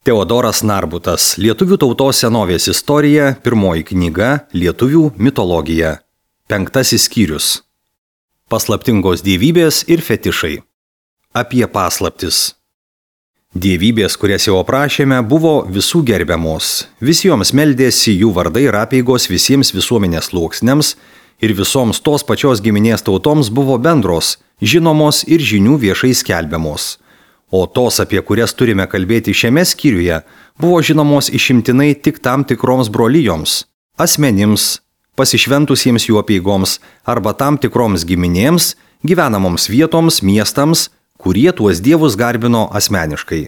Teodoras Narbutas, Lietuvių tautos senovės istorija, pirmoji knyga, Lietuvių mitologija. 5 skyrius. Paslaptingos dievybės ir fetišai. Apie paslaptis. Dievybės, kurias jau aprašėme, buvo visų gerbiamos. Visi joms meldėsi, jų vardai ir apeigos visiems visuomenės sluoksniams ir visoms tos pačios giminės tautoms buvo bendros, žinomos ir žinių viešai skelbiamos. O tos, apie kurias turime kalbėti šiame skyriuje, buvo žinomos išimtinai tik tam tikroms brolijoms, asmenims, pasišventusiems jų apeigoms arba tam tikroms giminėms, gyvenamoms vietoms, miestams, kurie tuos dievus garbino asmeniškai.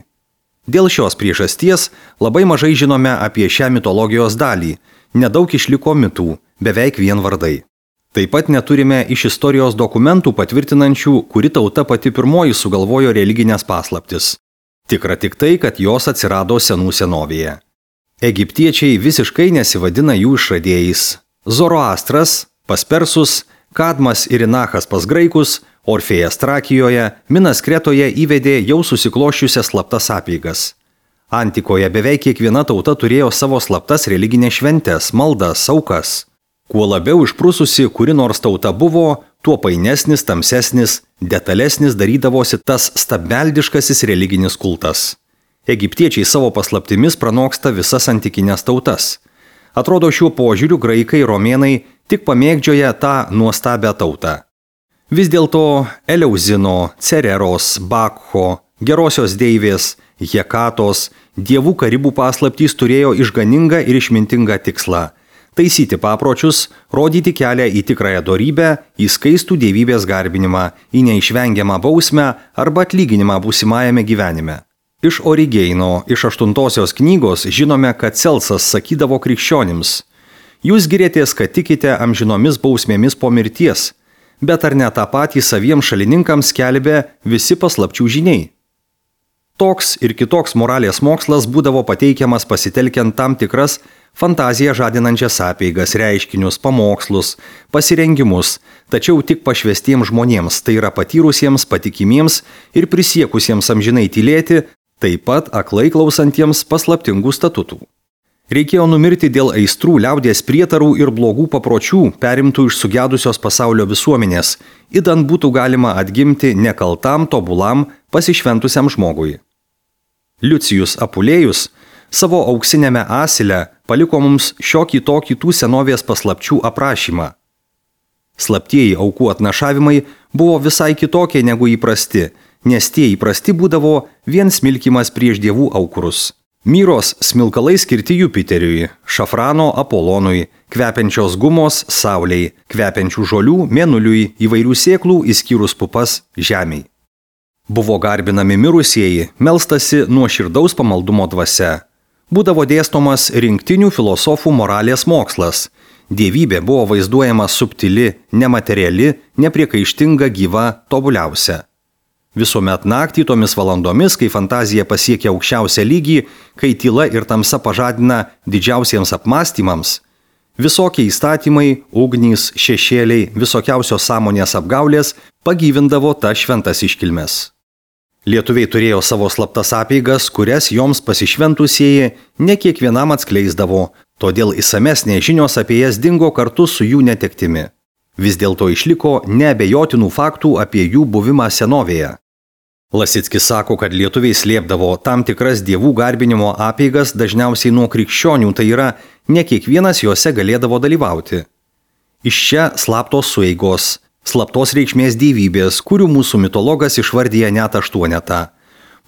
Dėl šios priežasties labai mažai žinome apie šią mitologijos dalį, nedaug išliko mitų, beveik vien vardai. Taip pat neturime iš istorijos dokumentų patvirtinančių, kuri tauta pati pirmoji sugalvojo religinės paslaptis. Tikra tik tai, kad jos atsirado senų senovėje. Egiptiečiai visiškai nesivadina jų išradėjais. Zoroastras pas persus, Kadmas ir Inachas pas graikus, Orfėjas Trakijoje, Minas Kretoje įvedė jau susikloščiusias slaptas apeigas. Antikoje beveik kiekviena tauta turėjo savo slaptas religinės šventes, maldas, aukas. Kuo labiau išprususi kuri nors tauta buvo, tuo painesnis, tamsesnis, detalesnis darydavosi tas stabmeldiškasis religinis kultas. Egiptiečiai savo paslaptimis pranoksta visas antikinės tautas. Atrodo, šiuo požiūriu graikai ir romėnai tik pamėgdžioja tą nuostabią tautą. Vis dėlto Eleuzino, Cereros, Bakcho, gerosios deivės, Hekatos, dievų karibų paslaptys turėjo išganingą ir išmintingą tikslą – taisyti papročius, rodyti kelią į tikrąją dorybę, į skaistų dievybės garbinimą, į neišvengiamą bausmę arba atlyginimą būsimajame gyvenime. Iš Origeino, iš 8 knygos žinome, kad Celsas sakydavo krikščionims: jūs girėtės, kad tikite amžinomis bausmėmis po mirties, bet ar ne tą patį saviems šalininkams skelbė visi paslapčių žiniai? Toks ir kitoks moralės mokslas būdavo pateikiamas pasitelkiant tam tikras fantaziją žadinančias apeigas, reiškinius, pamokslus, pasirengimus, tačiau tik pašvestiems žmonėms, tai yra patyrusiems, patikimiems ir prisiekusiems amžinai tylėti, taip pat aklai klausantiems paslaptingų statutų. Reikėjo numirti dėl aistrų, liaudies prietarų ir blogų papročių, perimtų iš sugedusios pasaulio visuomenės, idant būtų galima atgimti nekaltam, tobulam, pasišventusiam žmogui. Liucijus Apulėjus savo auksinėme asile paliko mums šiokį tokį tų senovės paslapčių aprašymą. Slaptieji aukų atnašavimai buvo visai kitokie negu įprasti, nes tie įprasti būdavo vien smilkimas prieš dievų aukurus. Myros smilkalai skirti Jupiteriui, šafrano Apolonui, kvepiančios gumos Saulei, kvepiančių žolių Mėnuliui, įvairių sėklų išskyrus pupas Žemei. Buvo garbinami mirusieji, melstasi nuoširdaus pamaldumo dvasia. Būdavo dėstomas rinktinių filosofų moralės mokslas. Dievybė buvo vaizduojama subtili, nemateriali, nepriekaištinga, gyva, tobuliausia. Visuomet naktį tomis valandomis, kai fantazija pasiekia aukščiausią lygį, kai tyla ir tamsa pažadina didžiausiems apmąstymams, visokie įstatymai, ugnys, šešėliai, visokiausios sąmonės apgaulės pagyvindavo tas šventas iškilmes. Lietuviai turėjo savo slaptas apeigas, kurias joms pasišventusieji ne kiekvienam atskleisdavo, todėl išsamesnės žinios apie jas dingo kartu su jų netektimi. Vis dėlto išliko neabejotinų faktų apie jų buvimą senovėje. Lasickis sako, kad lietuviai slėpdavo tam tikras dievų garbinimo apeigas dažniausiai nuo krikščionių, tai yra, ne kiekvienas juose galėdavo dalyvauti. Iš čia slaptos sueigos, slaptos reikšmės dievybės, kurių mūsų mitologas išvardyja net 8.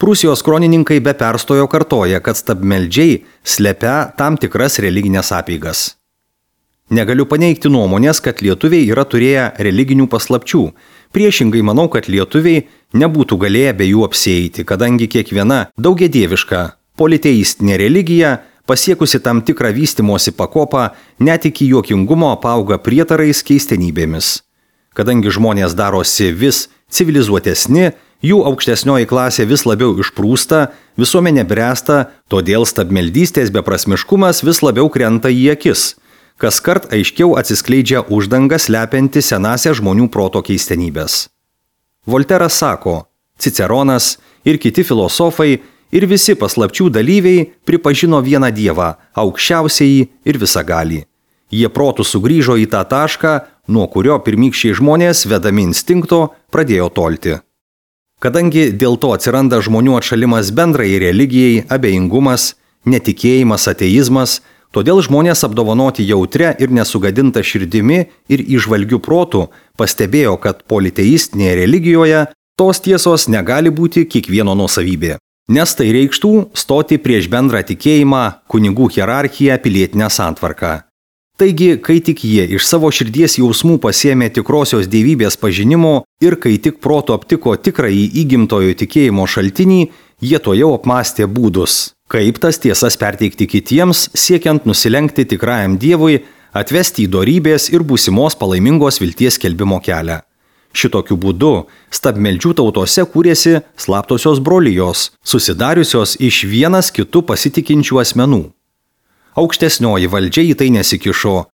Prūsijos kronininkai be perstojo kartoja, kad stabmeldžiai slepia tam tikras religinės apeigas. Negaliu paneigti nuomonės, kad lietuviai yra turėję religinių paslapčių. Priešingai manau, kad lietuviai nebūtų galėję be jų apsieiti, kadangi kiekviena daugiadieviška politeistinė religija, pasiekusi tam tikrą vystimosi pakopą, net iki juokingumo apauga prietarais keistenybėmis. Kadangi žmonės darosi vis civilizuotesni, jų aukštesnioji klasė vis labiau išprūsta, visuomenė bręsta, todėl stabmeldystės beprasmiškumas vis labiau krenta į akis. Kaskart aiškiau atsiskleidžia uždanga slepianti senąsias žmonių proto keistenybės. Volteras sako, Ciceronas ir kiti filosofai ir visi paslapčių dalyviai pripažino vieną Dievą, aukščiausiąjį ir visagalį. Jie protų sugrįžo į tą tašką, nuo kurio pirmykščiai žmonės, vedami instinkto, pradėjo tolti. Kadangi dėl to atsiranda žmonių atšalimas bendrai religijai, abejingumas, netikėjimas, ateizmas, todėl žmonės apdovanoti jautrę ir nesugadintą širdimi ir įžvalgių protų pastebėjo, kad politeistinėje religijoje tos tiesos negali būti kiekvieno nuosavybė, nes tai reikštų stoti prieš bendrą tikėjimą, kunigų hierarchiją, pilietinę santvarką. Taigi, kai tik jie iš savo širdies jausmų pasiėmė tikrosios dievybės pažinimo ir kai tik proto aptiko tikrąjį įgimtojo tikėjimo šaltinį, jie tojau apmąstė būdus, kaip tas tiesas perteikti kitiems, siekiant nusilenkti tikrajam Dievui, atvesti į dorybės ir būsimos palaimingos vilties skelbimo kelią. Šitokiu būdu stabmeldžių tautose kūrėsi slaptosios brolijos, susidariusios iš vienas kitų pasitikinčių asmenų. Aukštesnioji valdžia į tai nesikišo.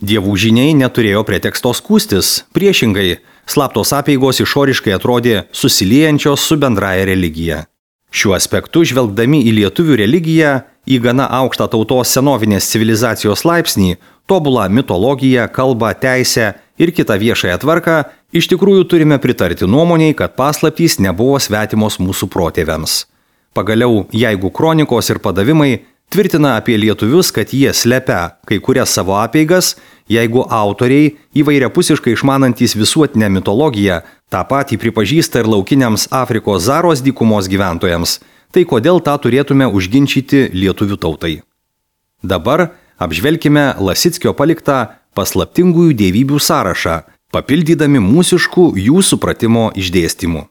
Dievų žiniai neturėjo preteksto skųstis, priešingai, slaptos apeigos išoriškai atrodė susiliejančios su bendraja religija. Šiuo aspektu, žvelgdami į lietuvių religiją, į gana aukštą tautos senovinės civilizacijos laipsnį, tobulą mitologiją, kalbą, teisę ir kitą viešąją tvarką, iš tikrųjų turime pritarti nuomoniai, kad paslaptys nebuvo svetimos mūsų protėviams. Pagaliau, jeigu kronikos ir padavimai tvirtina apie lietuvius, kad jie slepia kai kurias savo apeigas, jeigu autoriai, įvairiapusiškai išmanantys visuotinę mitologiją, tą patį pripažįsta ir laukiniams Afrikos Zaros dykumos gyventojams, tai kodėl tą turėtume užginčyti lietuvių tautai? Dabar apžvelkime Lasickio paliktą paslaptingųjų dievybių sąrašą, papildydami mūsiškų jų supratimo išdėstymų.